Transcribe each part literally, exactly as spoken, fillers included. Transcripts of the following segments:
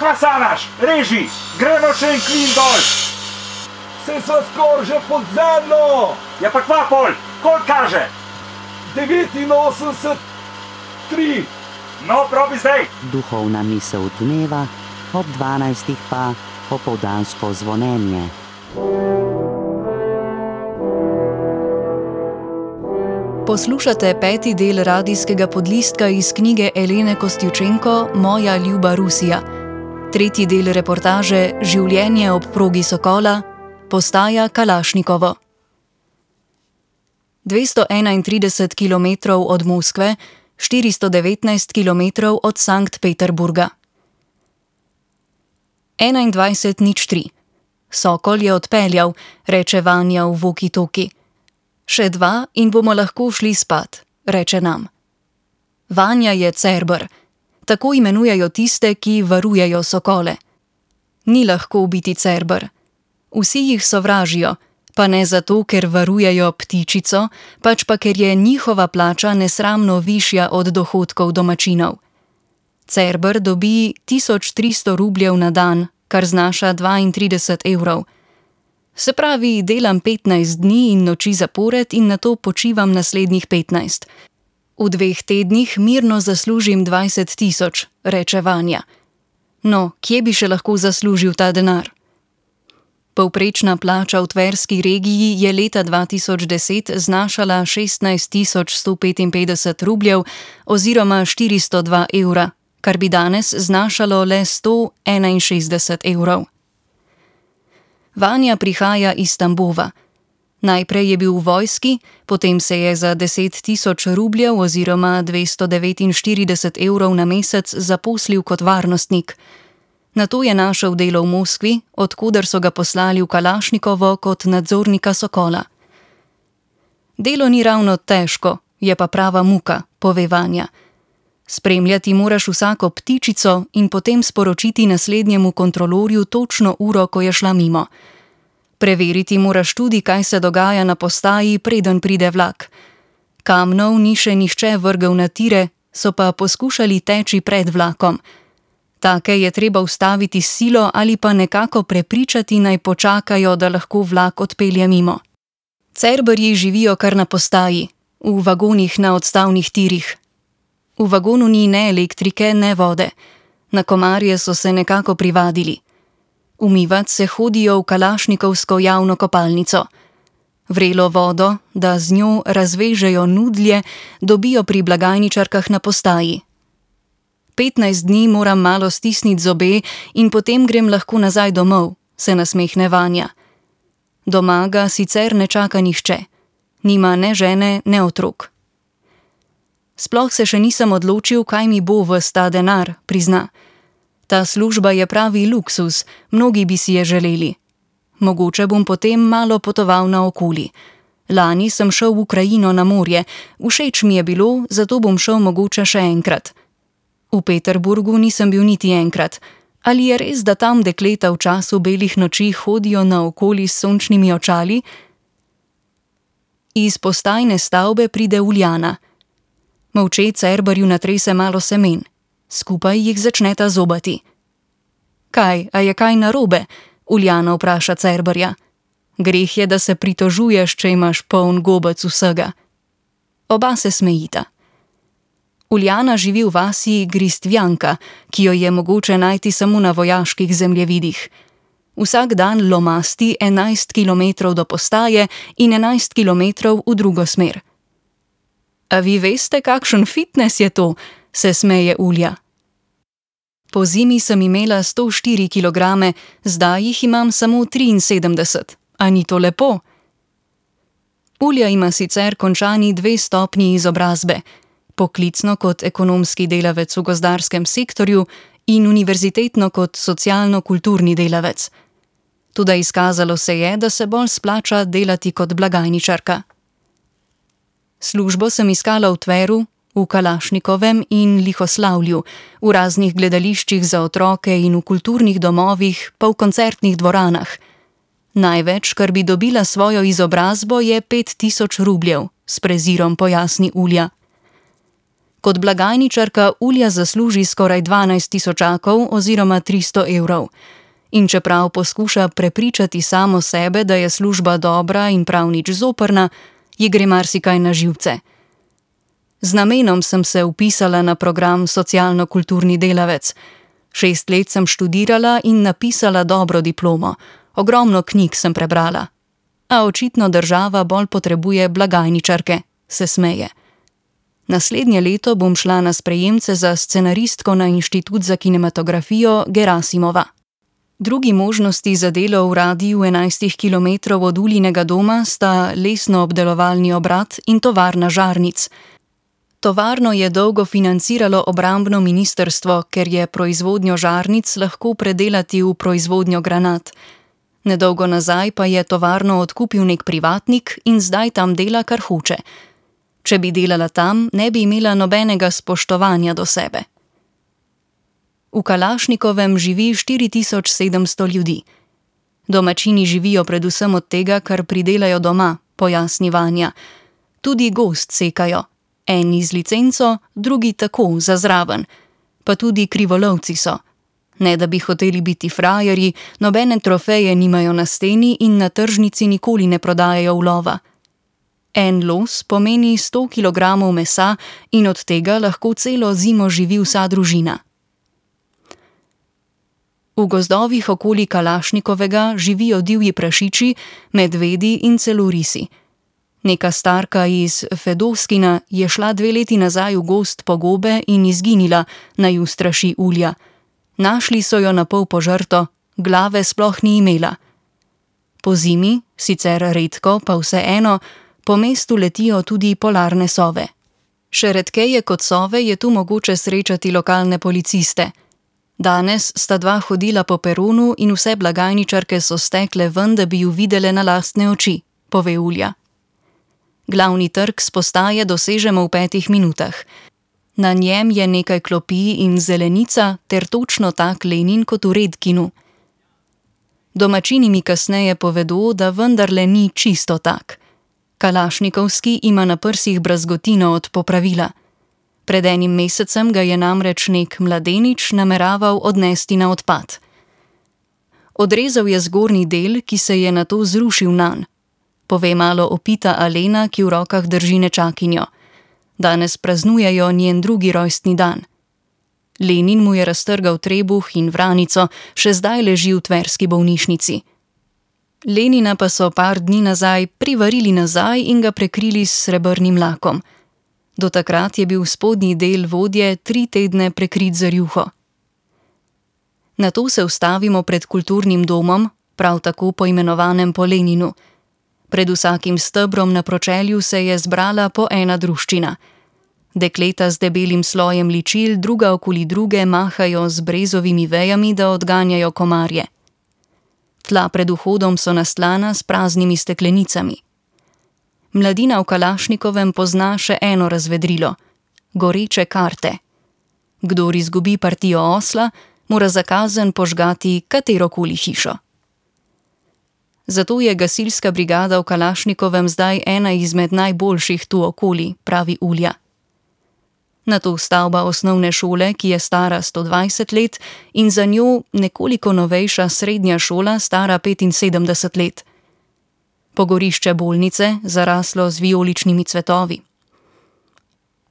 Kaj sanaš? Reži, gremo še en klin dol. Se sva skor že pod zemljo. Ja pa kva pol, koliko kaže? devetinosemdeset tri. No, probi zdaj. Duhovna misel dneva, ob dvanajstih pa opoldansko zvonjenje. Poslušate peti del radijskega podlistka iz knjige Elene Kostjučenko Moja ljuba Rusija. Tretji del reportaže Življenje ob progi Sokola, postaja Kalašnikovo. dvesto enaintrideset kilometrov od Moskve, štiristo devetnajst kilometrov od Sankt Peterburga. enaindvajset nič tri. Sokol je odpeljal, reče Vanja v walkie-talkie. Še dva in bomo lahko šli spat, reče nam. Vanja je Cerber. Tako imenujejo tiste, ki varujejo sokole. Ni lahko biti Cerber. Vsi jih sovražijo, pa ne zato, ker varujejo ptičico, pač pa ker je njihova plača nesramno višja od dohodkov domačinov. Cerber dobi tisoč tristo rubljev na dan, kar znaša dvaintrideset evrov. Se pravi, delam petnajst dni in noči zapored in nato počivam naslednjih petnajst. V dveh tednih mirno zaslužim dvajset tisoč, reče Vanja. No, kje bi še lahko zaslužil ta denar? Povprečna plača v tverski regiji je leta dva tisoč deset znašala šestnajst tisoč sto petinpetdeset rubljev oziroma štiristo dva evra, kar bi danes znašalo le sto enainšestdeset evrov. Vanja prihaja iz Tambova. Najprej je bil v vojski, potem se je za deset tisoč rubljev oziroma dvesto devetinštirideset evrov na mesec zaposlil kot varnostnik. Nato je našel delo v Moskvi, od koder so ga poslali v Kalašnikovo kot nadzornika Sokola. Delo ni ravno težko, je pa prava muka, pove Vanja. Spremljati moraš vsako ptičico in potem sporočiti naslednjemu kontrolorju točno uro, ko je šla mimo. Preveriti moraš tudi, kaj se dogaja na postaji, preden pride vlak. Kamnov ni še nihče vrgel na tire, so pa poskušali teči pred vlakom. Take je treba ustaviti s silo ali pa nekako prepričati, naj počakajo, da lahko vlak odpelje mimo. Cerberji živijo kar na postaji, v vagonih na odstavnih tirih. V vagonu ni ne elektrike, ne vode. Na komarje so se nekako privadili. Umivat se hodijo v kalašnikovsko javno kopalnico. Vrelo vodo, da z njo razvežejo nudlje, dobijo pri blagajničarkah na postaji. petnajst dni moram malo stisniti zobe in potem grem lahko nazaj domov, se nasmehne Vanja. Doma ga sicer ne čaka nihče. Nima ne žene, ne otrok. Sploh se še nisem odločil, kaj mi bo ves ta denar, prizna. Ta služba je pravi luksus, mnogi bi si je želeli. Mogoče bom potem malo potoval naokoli. Lani sem šel v Ukrajino na morje, všeč mi je bilo, zato bom šel mogoče še enkrat. V Peterburgu nisem bil niti enkrat. Ali je res, da tam dekleta v času belih noči hodijo naokoli s sončnimi očali? Iz postajne stavbe pride Uljana. Molče Cerberju natrese malo semen. Skupaj jih začneta zobati. Kaj, a je kaj narobe? Uljana vpraša Cerberja. Greh je, da se pritožuješ, če imaš poln gobec vsega. Oba se smejita. Uljana živi v vasi Gristvjanka, ki jo je mogoče najti samo na vojaških zemljevidih. Vsak dan lomasti enajst kilometrov do postaje in enajst kilometrov v drugo smer. A vi veste, kakšen fitnes je to, se smeje Ulja. Po zimi sem imela sto štiri kilograme, zdaj jih imam samo triinsedemdeset. A ni to lepo? Ulja ima sicer končani dve stopnji izobrazbe, poklicno kot ekonomski delavec v gozdarskem sektorju in univerzitetno kot socialno-kulturni delavec. Toda izkazalo se je, da se bolj splača delati kot blagajničarka. Službo sem iskala v Tveru, v Kalašnikovem in Lihoslavlju, v raznih gledališčih za otroke in v kulturnih domovih, pa v koncertnih dvoranah. Največ, kar bi dobila svojo izobrazbo, je pet tisoč rubljev, s prezirom pojasni Ulja. Kot blagajničarka Ulja zasluži skoraj dvanajst tisočakov oziroma tristo evrov. In čeprav poskuša prepričati samo sebe, da je služba dobra in prav nič zoprna, ji gre marsikaj na živce. Z namenom sem se vpisala na program socialno-kulturni delavec. Šest let sem študirala in napisala dobro diplomo. Ogromno knjig sem prebrala. A očitno država bolj potrebuje blagajničarke, se smeje. Naslednje leto bom šla na sprejemce za scenaristko na Inštitut za kinematografijo Gerasimova. Drugi možnosti za delo v radiju enajstih kilometrov od Uljinega doma sta lesno-obdelovalni obrat in tovarna žarnic. Tovarno je dolgo financiralo obrambno ministrstvo, ker je proizvodnjo žarnic lahko predelati v proizvodnjo granat. Nedolgo nazaj pa je tovarno odkupil nek privatnik in zdaj tam dela, kar hoče. Če bi delala tam, ne bi imela nobenega spoštovanja do sebe. V Kalašnikovem živi štiri tisoč sedemsto ljudi. Domačini živijo predvsem od tega, kar pridelajo doma, pojasni Vanja. Tudi gozd sekajo. Eni z licenco, drugi tako, za zraven. Pa tudi krivolovci so. Ne da bi hoteli biti frajerji, nobene trofeje nimajo na steni in na tržnici nikoli ne prodajajo ulova. En los pomeni sto kilogramov mesa in od tega lahko celo zimo živi vsa družina. V gozdovih okoli Kalašnikovega živijo divji prašiči, medvedi in celo risi. Neka starka iz Fedoskina je šla dve leti nazaj v gozd po gobe in izginila, naj ju straši Ulja. Našli so jo na pol požrto, glave sploh ni imela. Po zimi, sicer redko, pa vseeno, po mestu letijo tudi polarne sove. Še redkeje kot sove je tu mogoče srečati lokalne policiste. Danes sta dva hodila po peronu in vse blagajničarke so stekle ven, da bi ju videle na lastne oči, pove Ulja. Glavni trg s postaje dosežemo v petih minutah. Na njem je nekaj klopi in zelenica ter točno tak Lenin kot v Redkinu. Domačini mi kasneje povedo, da vendarle ni čisto tak. Kalašnikovski ima na prsih brazgotino od popravila. Pred enim mesecem ga je namreč nek mladenič nameraval odnesti na odpad. Odrezal je zgornji del, ki se je nato zrušil nanj. Pove malo opita Alena, ki v rokah drži nečakinjo. Danes praznujejo njen drugi rojstni dan. Lenin mu je raztrgal trebuh in vranico, še zdaj leži v tverski bolnišnici. Lenina pa so par dni nazaj privarili nazaj in ga prekrili s srebrnim lakom. Do takrat je bil spodnji del vodje tri tedne prekrit z rjuho. Nato se ustavimo pred kulturnim domom, prav tako poimenovanem po Leninu. Pred vsakim stebrom na pročelju se je zbrala po ena druščina. Dekleta z debelim slojem ličil druga okoli druge mahajo z brezovimi vejami, da odganjajo komarje. Tla pred vhodom so nastlana s praznimi steklenicami. Mladina v Kalašnikovem pozna še eno razvedrilo – goreče karte. Kdor izgubi partijo osla, mora za kazen požgati katerokoli hišo. Zato je gasilska brigada v Kalašnikovem zdaj ena izmed najboljših tu okoli, pravi Ulja. Nato stavba osnovne šole, ki je stara sto dvajset let, in za njo nekoliko novejša srednja šola, stara petinsedemdeset let. Pogorišče bolnice, zaraslo z vijoličnimi cvetovi.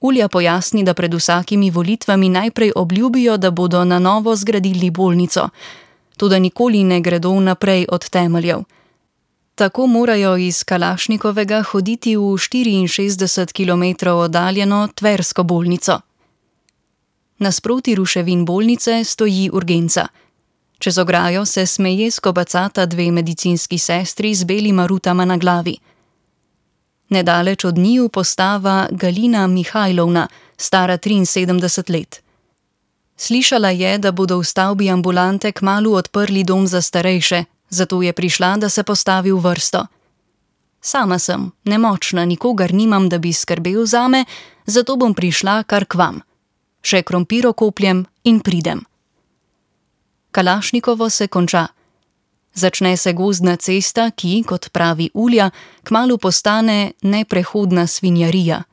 Ulja pojasni, da pred vsakimi volitvami najprej obljubijo, da bodo na novo zgradili bolnico, toda nikoli ne gredo naprej od temeljev. Tako morajo iz Kalašnikovega hoditi v štiriinšestdeset kilometrov oddaljeno tversko bolnico. Nasproti ruševin bolnice stoji urgenca. Čez ograjo se smejesko bacata dve medicinski sestri z belima rutama na glavi. Nedaleč od njiju postava Galina Mihajlovna, stara triinsedemdeset let. Slišala je, da bodo v stavbi ambulante kmalu odprli dom za starejše, zato je prišla, da se postavi v vrsto. Sama sem, nemočna, nikogar nimam, da bi skrbel zame, zato bom prišla kar k vam. Še krompiro kopljem in pridem. Kalašnikovo se konča. Začne se gozdna cesta, ki, kot pravi Ulja, kmalu postane neprehodna svinjarija.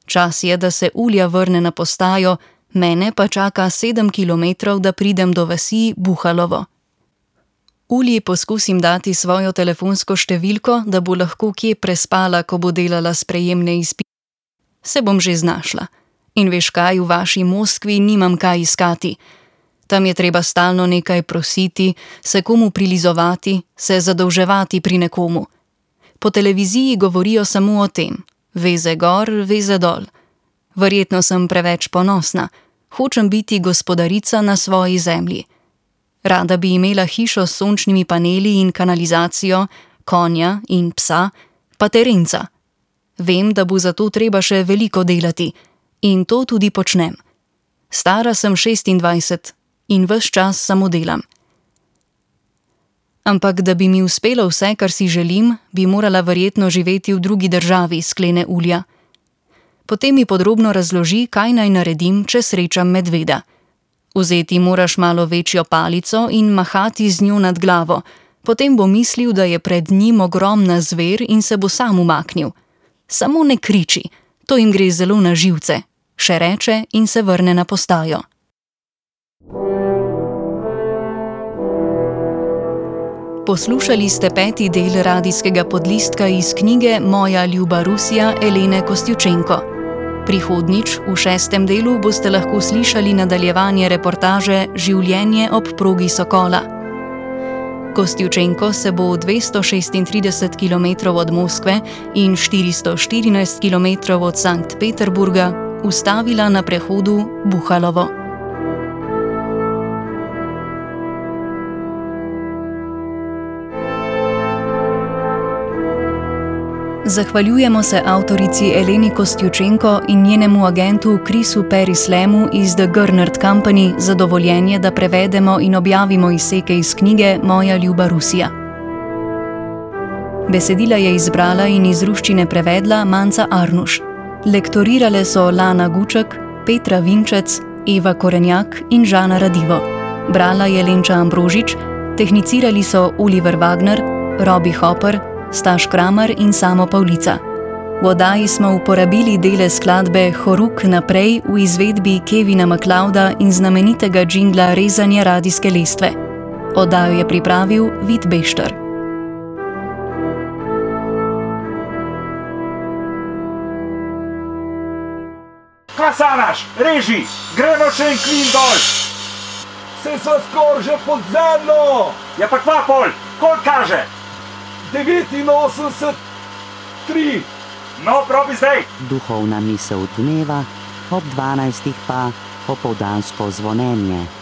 Čas je, da se Ulja vrne na postajo, mene pa čaka sedem kilometrov, da pridem do vasi Buhalovo. Ulji poskusim dati svojo telefonsko številko, da bo lahko kje prespala, ko bo delala sprejemne izpite. Se bom že znašla. In veš kaj, v vaši Moskvi nimam kaj iskati. Tam je treba stalno nekaj prositi, se komu prilizovati, se zadolževati pri nekomu. Po televiziji govorijo samo o tem. Veze gor, veze dol. Verjetno sem preveč ponosna. Hočem biti gospodarica na svoji zemlji. Rada bi imela hišo s sončnimi paneli in kanalizacijo, konja in psa, pa terenca. Vem, da bo za to treba še veliko delati. In to tudi počnem. Stara sem šestindvajset in ves čas samo delam. Ampak da bi mi uspelo vse, kar si želim, bi morala verjetno živeti v drugi državi, sklene Ulja. Potem mi podrobno razloži, kaj naj naredim, če srečam medveda. Vzeti moraš malo večjo palico in mahati z njo nad glavo. Potem bo mislil, da je pred njim ogromna zver in se bo sam umaknil. Samo ne kriči, to jim gre zelo na živce, še reče in se vrne na postajo. Poslušali ste peti del radijskega podlistka iz knjige Moja ljuba Rusija Elene Kostjučenko. Prihodnjič, v šestem delu, boste lahko slišali nadaljevanje reportaže Življenje ob progi Sokola. Kostjučenko se bo dvesto šestintrideset kilometrov od Moskve in štiristo štirinajst kilometrov od Sankt Peterburga ustavila na prehodu Buhalovo. Zahvaljujemo se avtorici Eleni Kostjučenko in njenemu agentu Chrisu Perislemu iz The Gernert Company za dovoljenje, da prevedemo in objavimo izseke iz knjige Moja ljuba Rusija. Besedila je izbrala in iz ruščine prevedla Manca Arnuš. Lektorirale so Lana Guček, Petra Vinčec, Eva Korenjak in Žana Radivo. Brala je Lenča Ambrožič, tehnicirali so Oliver Wagner, Robi Hopper, Staš Kramer in Samo Pavlica. V oddaji smo uporabili dele skladbe Horuk naprej v izvedbi Kevina MacLeoda in znamenitega džingla Rezanja radijske lestve. Oddajo je pripravil Vid Bešter. Kasanaš, reži, gremo še en klin dol. Se sva skoraj že pod zemljo. Ja pa kva pol, koliko kaže? devetinosemdeset tri. No, probi zdaj. Duhovna misel dneva, ob dvanajstih pa opoldansko zvonjenje.